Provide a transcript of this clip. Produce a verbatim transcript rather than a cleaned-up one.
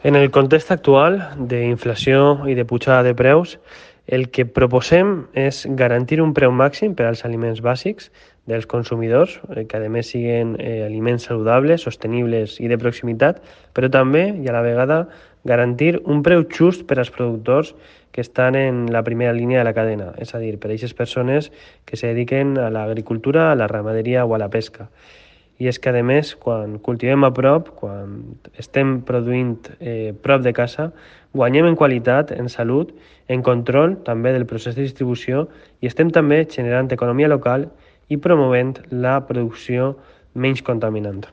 En el context actual d'inflació i de pujada de preus, el que proposem és garantir un preu màxim per als aliments bàsics dels consumidors, que a més siguin eh, aliments saludables, sostenibles i de proximitat, però també, i a la vegada, garantir un preu just per als productors que estan en la primera línia de la cadena, és a dir, per a aquestes persones que se dediquen a l'agricultura, a la ramaderia o a la pesca. I és que, a més, quan cultivem a prop, quan estem produint eh, prop de casa, guanyem en qualitat, en salut, en control també del procés de distribució i estem també generant economia local i promovent la producció menys contaminant.